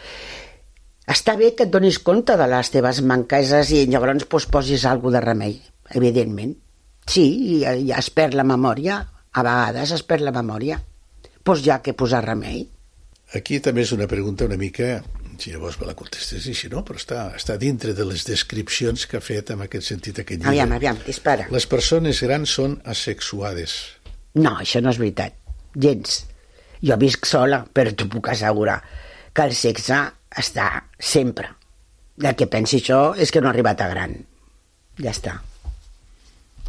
Està bé que et donis compte de les teves manqueses i llavors pues, posis alguna de remei, evidentment. Sí, ja es perd la memòria, a vegades es perd la memòria. Doncs ja que posar remei. Aquí també és una pregunta una mica, si llavors me la contestes i si no, però està, està dintre de les descripcions que ha fet en aquest sentit aquest llibre. Aviam, aviam, dispara. Les persones grans són asexuades. No, això no és veritat, gens. Jo visc sola, però t'ho puc assegurar que el sexe està sempre. El que pensi això és que no ha arribat a gran. Ja està.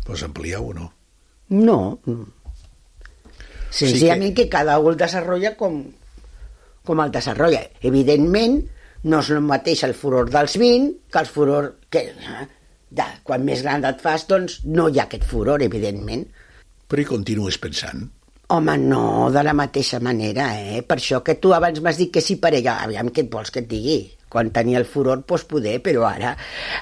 Pues ampliar o no? No. Senzillament que... que cada un el desenvolupa com, com el desenvolupa. Evidentment, no és el mateix el furor dels vint que el furor... que ja, quan més gran et fas, doncs no hi ha aquest furor, evidentment. Però hi continues pensant? Home, no, de la mateixa manera, eh? Per això que tu abans m'has dit que sí parella, aviam què et vols que et digui. Quan tenia el furor, doncs poder, però ara,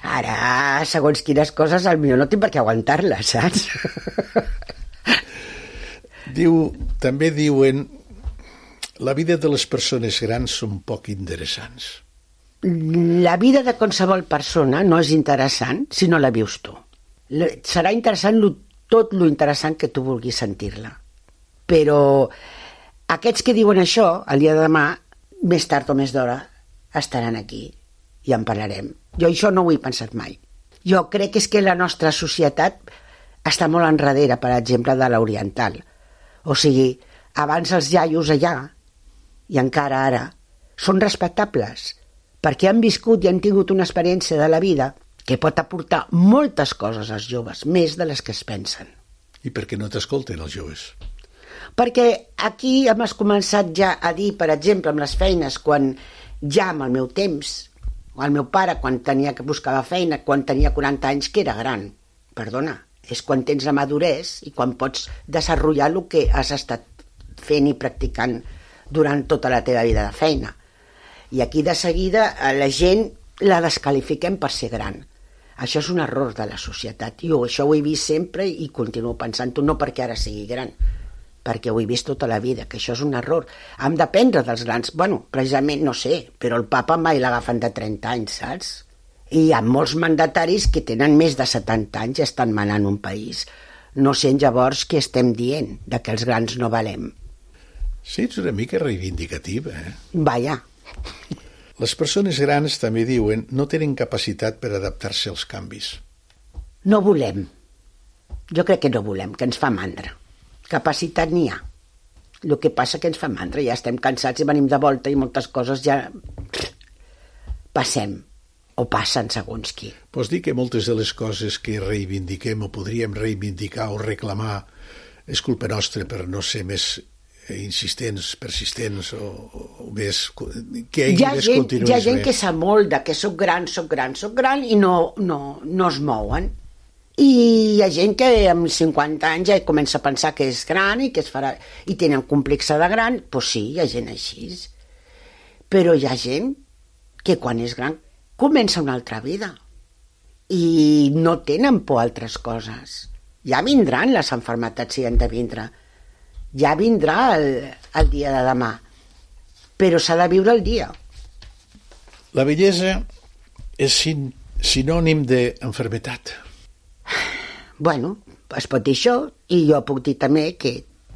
ara, segons quines coses, potser no tinc per què aguantar-les, saps? Diu, també diuen, la vida de les persones grans són poc interessants. La vida de qualsevol persona no és interessant si no la vius tu. Serà interessant lo, tot lo interessant que tu vulguis sentir-la. Però aquests que diuen això, el dia de demà, més tard o més d'hora, estaran aquí i en parlarem. Jo això no ho he pensat mai. Jo crec que és que la nostra societat està molt enrere, per exemple, de l'oriental. O sigui, abans els iaios allà, i encara ara, són respectables, perquè han viscut i han tingut una experiència de la vida que pot aportar moltes coses als joves, més de les que es pensen. I per què no t'escolten els joves? Perquè aquí hem començat ja a dir, per exemple, amb les feines, quan ja amb el meu temps, o el meu pare, quan tenia que buscava feina, quan tenia quaranta anys, que era gran, perdona, és quan tens la maduresa i quan pots desenvolupar el que has estat fent i practicant durant tota la teva vida de feina. I aquí de seguida la gent la descalifiquem per ser gran. Això és un error de la societat. Jo això ho he vist sempre i continuo pensant-ho, no perquè ara sigui gran, perquè ho he vist tota la vida, que això és un error. Hem d'aprendre dels grans. Bueno, precisament, no sé, però el papa mai l'agafen de trenta anys, saps? I hi ha molts mandataris que tenen més de setanta anys i estan manant un país. No sé llavors què estem dient, de que els grans no valem. Sí, ets una mica reivindicativa, eh? Vaja. Les persones grans, també diuen, no tenen capacitat per adaptar-se als canvis. No volem. Jo crec que no volem, que ens fa mandra. Capacitat n'hi ha. El que passa que ens fa mandra, ja estem cansats i venim de volta i moltes coses ja passem o passen segons qui. Pots dir que moltes de les coses que reivindiquem o podríem reivindicar o reclamar és culpa nostra per no ser més insistents, persistents o, o més... que hi ha més gent, hi ha gent més. que s'amolda, que soc gran, soc gran, soc gran i no, no, no es mouen. I hi ha gent que amb cinquanta anys ja comença a pensar que és gran i que es farà, i tenen complexa de gran. Doncs pues sí, hi ha gent així. Però hi ha gent que quan és gran comença una altra vida i no tenen por a altres coses. Ja vindran les malalties si han de vindre, ja vindrà el, el dia de demà, però s'ha de viure el dia. La bellesa és sin, sinònim d'enfermetat. Bueno, es pot dir això, i jo puc dir també que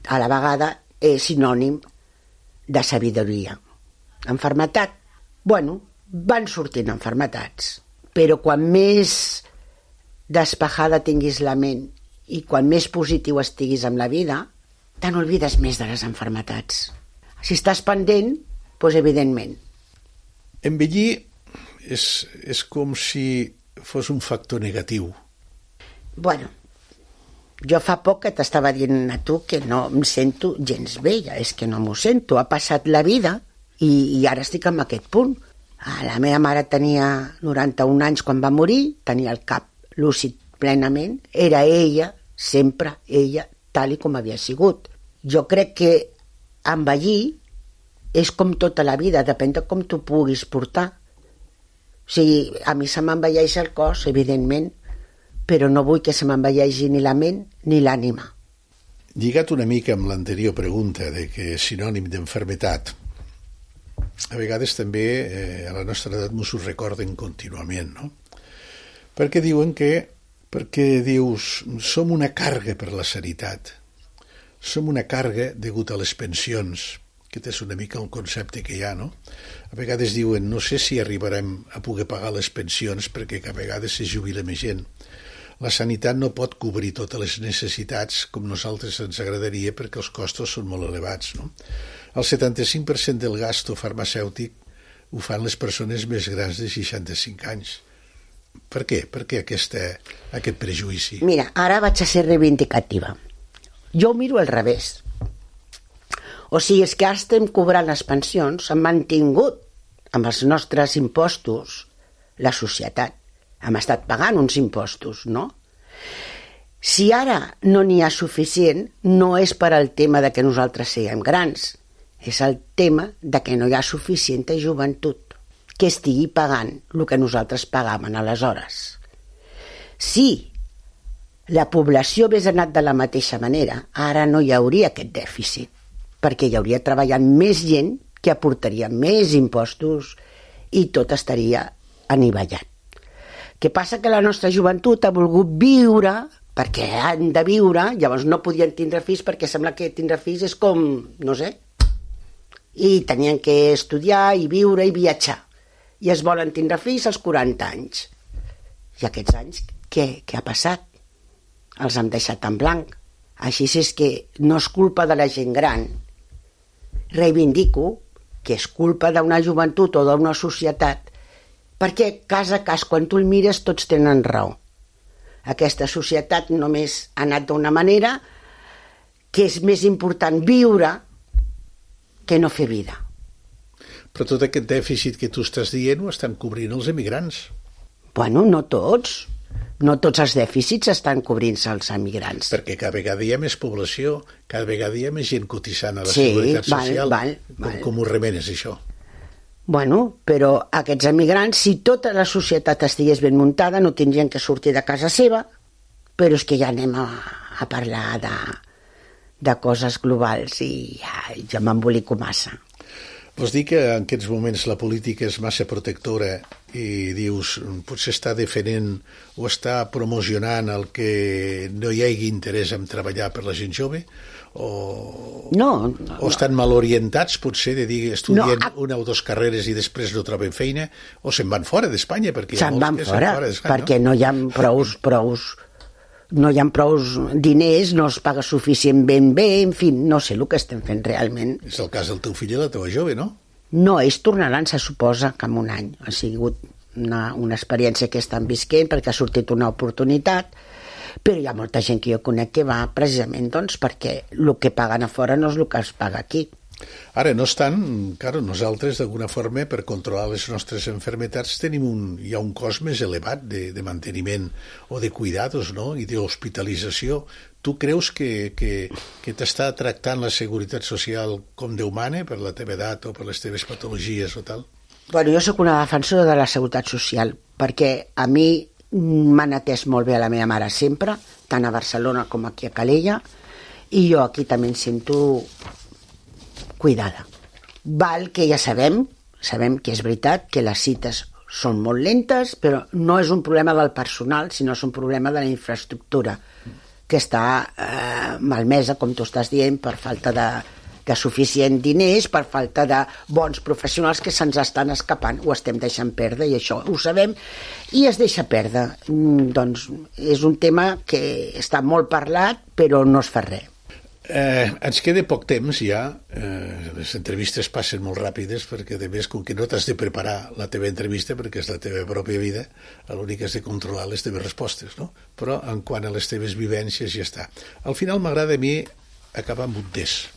a la vegada és sinònim de sabidoria. Enfermetat, bueno, van sortint enfermetats, però quan més despejada tinguis la ment i quan més positiu estiguis amb la vida, te n'olvides més de les enfermetats. Si estàs pendent, doncs evidentment. Envellir és, és com si fos un factor negatiu. Bueno, jo fa poc que t'estava dient a tu que no em sento gens bella, és que no m'ho sento. Ha passat la vida i, i ara estic en aquest punt. La meva mare tenia noranta-un anys quan va morir, tenia el cap lúcid plenament, era ella, sempre ella, tal i com havia sigut. Jo crec que envellir és com tota la vida, depèn de com tu puguis portar. O sigui, a mi se m'envelleix el cos, evidentment, però no vull que se m'envelleixi ni la ment ni l'ànima. Lligat una mica amb l'anterior pregunta de que és sinònim d'enfermetat, a vegades també eh, a la nostra edat ens ho recorden contínuament, no? Perquè diuen que, perquè dius, som una càrrega per la sanitat, som una càrrega degut a les pensions, que és una mica el concepte que hi ha, no? A vegades diuen, no sé si arribarem a poder pagar les pensions perquè a vegades se jubila més gent. La sanitat no pot cobrir totes les necessitats com nosaltres ens agradaria perquè els costos són molt elevats, no? El setanta-cinc per cent del gasto farmacèutic ho fan les persones més grans de seixanta-cinc anys. Per què? Per què aquesta, aquest prejudici? Mira, ara vaig a ser reivindicativa. Jo ho miro al revés. O sigui, és que ara estem cobrant les pensions, hem mantingut amb els nostres impostos la societat. Hem estat pagant uns impostos, no? Si ara no n'hi ha suficient, no és per al tema de que nosaltres siguem grans, és el tema de que no hi ha suficient joventut que estigui pagant el que nosaltres pagàvem aleshores. Si la població hagués anat de la mateixa manera, ara no hi hauria aquest dèficit, perquè hi hauria treballant més gent que aportaria més impostos i tot estaria anivellat. Què passa? Que la nostra joventut ha volgut viure perquè han de viure, llavors no podien tindre fills perquè sembla que tindre fills és com, no sé, i tenien que estudiar i viure i viatjar. I es volen tindre fills als quaranta anys. I aquests anys, què, què ha passat? Els han deixat en blanc. Així és que no és culpa de la gent gran. Reivindico que és culpa d'una joventut o d'una societat, perquè cas a cas, quan tu el mires, tots tenen raó. Aquesta societat només ha anat d'una manera que és més important viure que no fer vida. Però tot aquest dèficit que tu estàs dient ho estan cobrint els emigrants. Bueno, no tots. No tots els dèficits estan cobrint-se els emigrants. Perquè cada vegada hi ha més població, cada vegada hi ha més gent cotitzant a la sí, Seguretat val, Social. Val, com, val. com ho remenes, això? Bueno, però aquests emigrants, si tota la societat estigués ben muntada, no tindrien que sortir de casa seva, però és que ja anem a, a parlar de, de coses globals i ja, ja m'embolico massa. Vols dir que en aquests moments la política és massa protectora i dius, potser està defendent o està promocionant el que no hi hagi interès en treballar per la gent jove? O, no, no, o estan mal orientats, potser, de dir, estudien no, a... una o dues carreres i després no troben feina, o se'n van fora d'Espanya? Se'n van fora, fora perquè no? no hi ha prous, prous, no hi ha prous diners, no es paga suficient ben bé, en fi, no sé el que estem fent realment. És el cas del teu fill i la teva jove, no? No, ells tornaran, se suposa, que en un any. Ha sigut una, una experiència que estan visquent perquè ha sortit una oportunitat, però hi ha molta gent que jo conec que va precisament doncs, perquè el que paguen a fora no és el que es paga aquí. Ara, no obstant, claro, nosaltres, d'alguna forma, per controlar les nostres enfermetats, tenim un, hi ha un cost més elevat de, de manteniment o de cuidados, no?, i d'hospitalització. Tu creus que, que, que t'està tractant la Seguretat Social com Déu mana per la teva edat o per les teves patologies o tal? Bueno, jo sóc una defensora de la Seguretat Social, perquè a mi m'han atès molt bé a la meva mare sempre, tant a Barcelona com aquí a Calella, i jo aquí també em sento cuidada. Val que ja sabem, sabem que és veritat que les cites són molt lentes, però no és un problema del personal, sinó és un problema de la infraestructura, que està eh, malmesa, com tu estàs dient, per falta de, de suficient diners, per falta de bons professionals que se'ns estan escapant, ho estem deixant perdre, i això ho sabem, i es deixa perdre. Mm, doncs és un tema que està molt parlat, però no es fa res. Eh, ens queda poc temps ja, eh, les entrevistes passen molt ràpides perquè a més com que no t'has de preparar la teva entrevista perquè és la teva pròpia vida, l'únic que has de controlar les teves respostes, no? Però en quant a les teves vivències ja està. Al final m'agrada a mi acabar amb un test.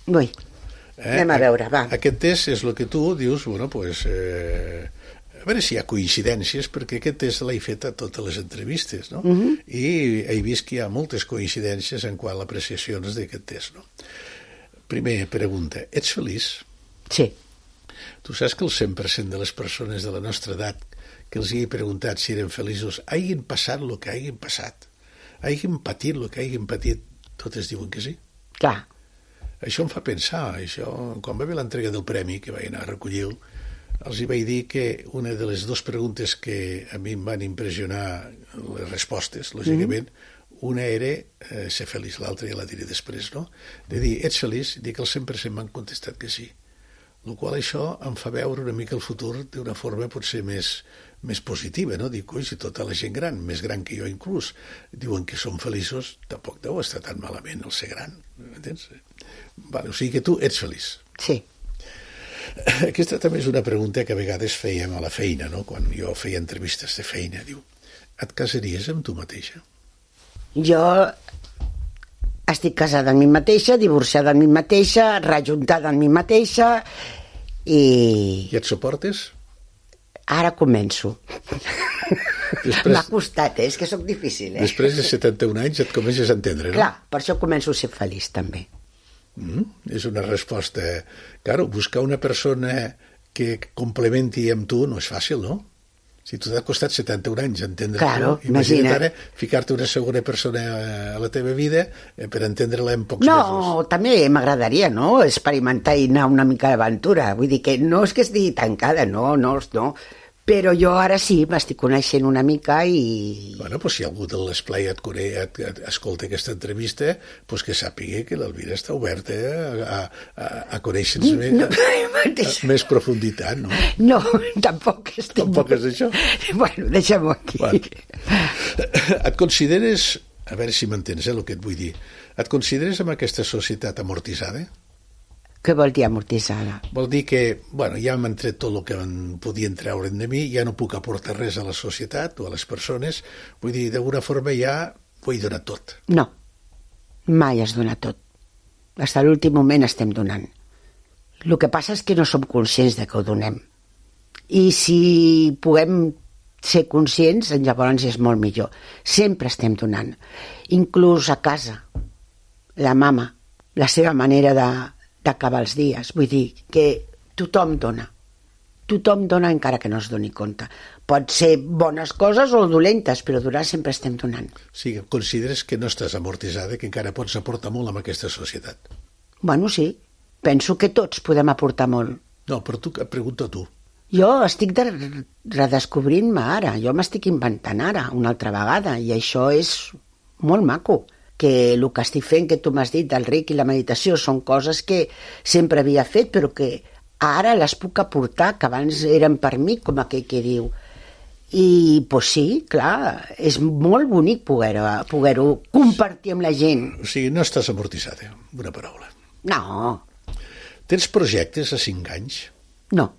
Ui, eh? Anem a veure, va. Aquest test és el que tu dius, bueno, pues, eh, a veure si hi ha coincidències, perquè aquest test l'he fet a totes les entrevistes, no? Uh-huh. I he vist que hi ha moltes coincidències en quant a l'apreciacions d'aquest test, no? Primera pregunta, ets feliç? Sí. Tu saps que el cent per cent de les persones de la nostra edat que els hi he preguntat si eren feliços hagin passat el que hagin passat, hagin patit el que hagin patit, totes diuen que sí? Clar. Això em fa pensar, això, quan va haver l'entrega del premi, que vaig anar a recollir-lo, els hi vaig dir que una de les dues preguntes que a mi em van impressionar les respostes, lògicament, mm. una era eh, ser feliç, l'altra ja la diré després, no? De dir, ets feliç? Dic que el cent per cent m'han contestat que sí. El qual això em fa veure una mica el futur d'una forma potser més, més positiva, no? Dic, oi, si tota la gent gran, més gran que jo inclús, diuen que som feliços, tampoc deu estar tan malament el ser gran, m'entens? Vale, o sigui que tu ets feliç. Sí. Aquesta també és una pregunta que a vegades fèiem a la feina, no? Quan jo feia entrevistes de feina, diu, et casaries amb tu mateixa? Jo estic casada amb mi mateixa, divorciada amb mi mateixa, rejuntada amb mi mateixa i... I et suportes? Ara començo. Després... M'ha costat, eh? És que sóc difícil, eh? Després de setanta-un anys et comences a entendre, no? Clar, per això començo a ser feliç, també. Mm, és una resposta... Claro, buscar una persona que complementi amb tu no és fàcil, no? Si tu t'ha costat setanta-un anys entendre, claro, no? Imagina't ara ficar-te una segona persona a la teva vida per entendre-la en pocs no, mesos. No, també m'agradaria, no?, experimentar i anar una mica d'aventura. Vull dir que no és que estigui tancada, no, no, no. Però jo ara sí, m'estic coneixent una mica i... Bueno, doncs si algú de l'esplai et, et, et escolta aquesta entrevista, doncs que sàpiga que l'Elvira està oberta a, a, a conèixer-nos no, més, a, a més profunditat, no? No, tampoc estic... Tampoc és això? Bueno, deixem-ho aquí. Bueno. Et consideres, a veure si m'entens, eh, el que et vull dir, et consideres amb aquesta societat amortitzada? Què vol dir amortitzada? Vol dir que, bueno, ja m'han tret tot el que em podien treure'n de mi, ja no puc aportar res a la societat o a les persones, vull dir, d'alguna forma ja ho he donat tot. No, mai has donat tot. Fins a l'últim moment estem donant. El que passa és que no som conscients de que ho donem. I si puguem ser conscients, llavors és molt millor. Sempre estem donant. Inclús a casa, la mama, la seva manera de d'acabar els dies. Vull dir que tothom dona. Tothom dona encara que no es doni compte. Pot ser bones coses o dolentes, però donar sempre estem donant. Sí, consideres que no estàs amortitzada, que encara pots aportar molt amb aquesta societat? Bueno, sí. Penso que tots podem aportar molt. No, però tu, et pregunto a tu. Jo estic de redescobrint-me ara. Jo m'estic inventant ara, una altra vegada, i això és molt maco. Que el que estic fent, que tu m'has dit, del Reiki i la meditació, són coses que sempre havia fet, però que ara les puc aportar, que abans eren per mi, com aquell que diu. I, doncs sí, clar, és molt bonic poder-ho poder compartir amb la gent. O sigui, no estàs amortitzada, una paraula. No. Tens projectes a cinc anys? No.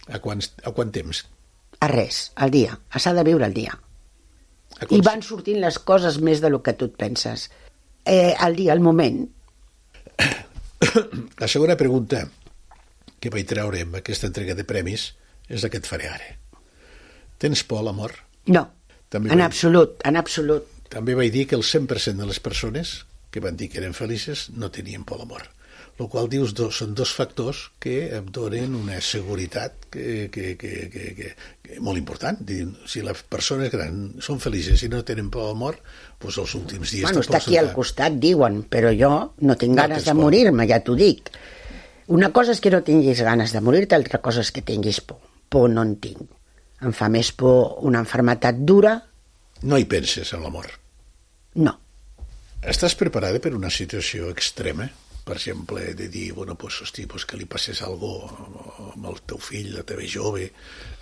A quant, a quant temps? A res, al dia. S'ha de viure al dia. I van sortint les coses més del que tu et penses. Eh, al dia, al moment. La segona pregunta que vaig treure amb aquesta entrega de premis és la que et faré ara. Tens por a l'amor? No, També en vaig- absolut, en absolut. També vaig dir que el cent per cent de les persones que van dir que eren felices no tenien por a l'amor. El qual dius, dos, són dos factors que em donen una seguretat que, que, que, que, que, que molt important. Dir, si les persones grans són felices i no tenen por a l'amor, doncs els últims dies... Bueno, te està pots aquí al notar. costat, diuen, però jo no tinc No ganes tens de por. morir-me, ja t'ho dic. Una cosa és que no tinguis ganes de morir-te, altra cosa és que tinguis por. Por no en tinc. Em fa més por una malaltia dura? No hi penses en l'amor. No. Estàs preparada per una situació extrema? Per exemple, de dir, bueno, pues, hosti, pues, que li passés alguna cosa amb el teu fill, la teva jove,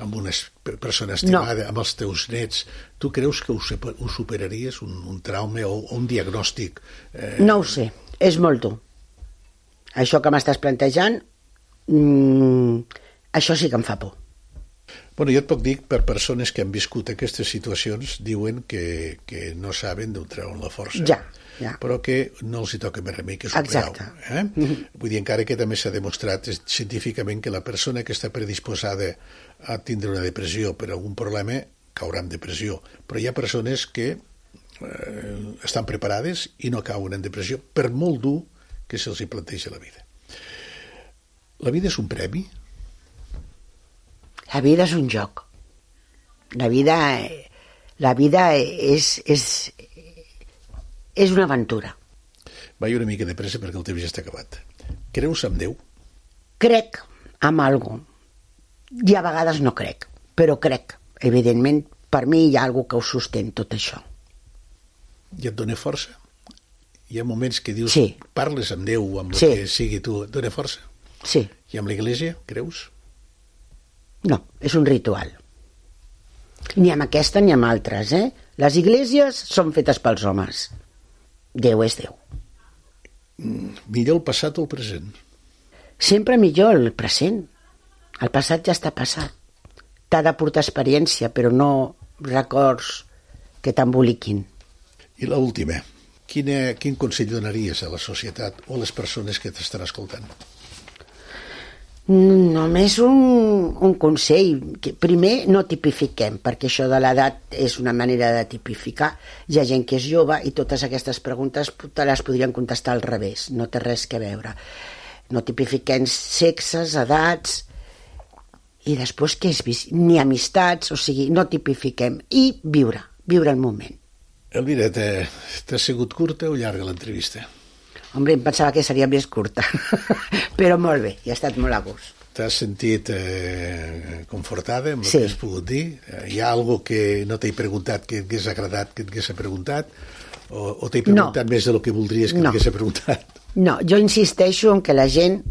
amb una es- persona estimada, no. amb els teus nets. Tu creus que ho, sepa- ho superaries, un, un trauma o, o un diagnòstic? Eh, No ho sé, és molt dur. Això que m'estàs plantejant, mmm, això sí que em fa por. Bueno, jo et puc dir, per persones que han viscut aquestes situacions, diuen que, que no saben d'on treuen la força. Ja, ja. Però que no els hi toca més remei que superar-ho. Exacte. Eh? Mm-hmm. Vull dir, encara que també s'ha demostrat eh, científicament que la persona que està predisposada a tindre una depressió per algun problema caurà en depressió. Però hi ha persones que eh, estan preparades i no cauen en depressió per molt dur que se'ls hi planteja la vida. La vida és un premi? La vida és un joc. La vida, la vida és, és, és una aventura. Vaig una mica de pressa perquè el temps ja està acabat. Creus en Déu? Crec en algo. I a vegades no crec, però crec. Evidentment, per mi hi ha algú que ho sostén tot això. I et dona força? Hi ha moments que dius, Sí. parles amb Déu o amb el Sí. que sigui tu, et dona força? Sí, I amb l'Església, creus? no, és un ritual. Ni amb aquesta ni amb altres, eh? Les iglésies són fetes pels homes. Déu és Déu. Millor el passat o el present? Sempre millor el present. El passat ja està passat. T'ha de portar experiència, però no records que t'emboliquin. I l'última, quina, quin consell donaries a la societat o a les persones que t'estan escoltant? Només un, un consell. Que primer, no tipifiquem, perquè això de l'edat és una manera de tipificar. Hi ha gent que és jove i totes aquestes preguntes te les podrien contestar al revés. No té res que veure. No tipifiquem sexes, edats, i després què és? Ni amistats, o sigui, no tipifiquem. I viure, viure el moment. Elvira, t'ha t'ha sigut curta o llarga l'entrevista? Hombre, em pensava que seria més curta, però molt bé, i ha estat molt a gust. T'has sentit eh, confortada amb el Sí. que has pogut dir? Eh, Hi ha alguna que no t'he preguntat que et hagués agradat que et hagués preguntat? O, o t'he preguntat No. més del que voldries que No. t'hagués preguntat? No, jo insisteixo en que la gent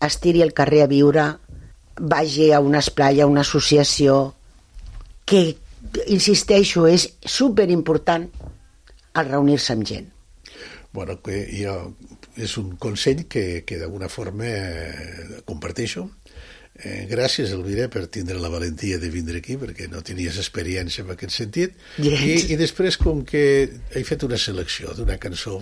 es tiri al carrer a viure, vagi a una esplai, a una associació, que, insisteixo, és superimportant el reunir-se amb gent. Bueno, que jo, és un consell que, que d'alguna forma eh, comparteixo. Eh, gràcies, Elvira, per tindre la valentia de vindre aquí, perquè no tenies experiència en aquest sentit. I, I després, com que he fet una selecció d'una cançó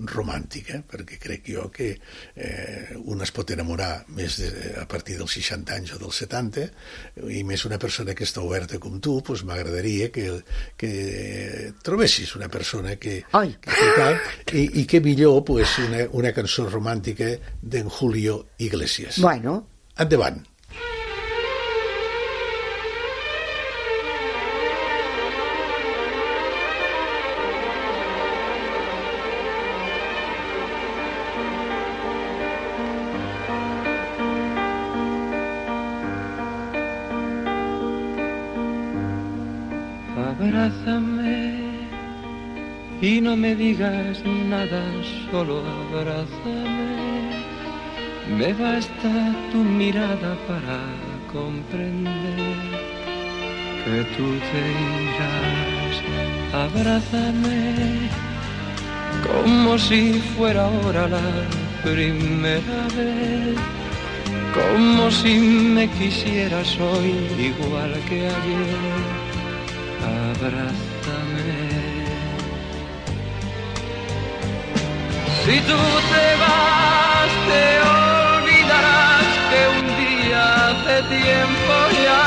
romàntica, perquè crec jo que eh, un es pot enamorar més de, a partir dels seixanta anys o dels setanta, i més una persona que està oberta com tu, doncs m'agradaria que, que trobessis una persona que... Ai. que, que cal, i, i que millor pues, una, una cançó romàntica d'en Julio Iglesias. Bueno, Endavant. Abrázame y no me digas nada, solo abrázame. Me basta tu mirada para comprender que tú te irás. Abrázame como si fuera ahora la primera vez, como si me quisieras hoy igual que ayer. Abrázame. Si tú te vas, te olvidarás que un día hace tiempo ya,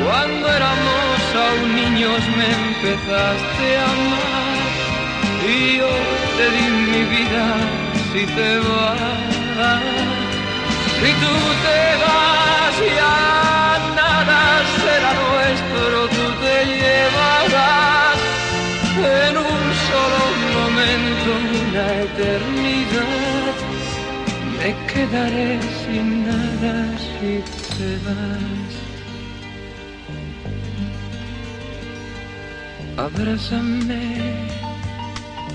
cuando éramos aún niños me empezaste a amar, y yo te di mi vida si te vas. Si tú te vas ya nada será nuestro, tú te llevarás en un solo momento una eternidad. Me quedaré sin nada si te vas. Abrázame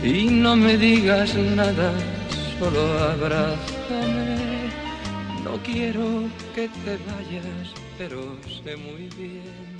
y no me digas nada, solo abrázame. No quiero que te vayas, pero sé muy bien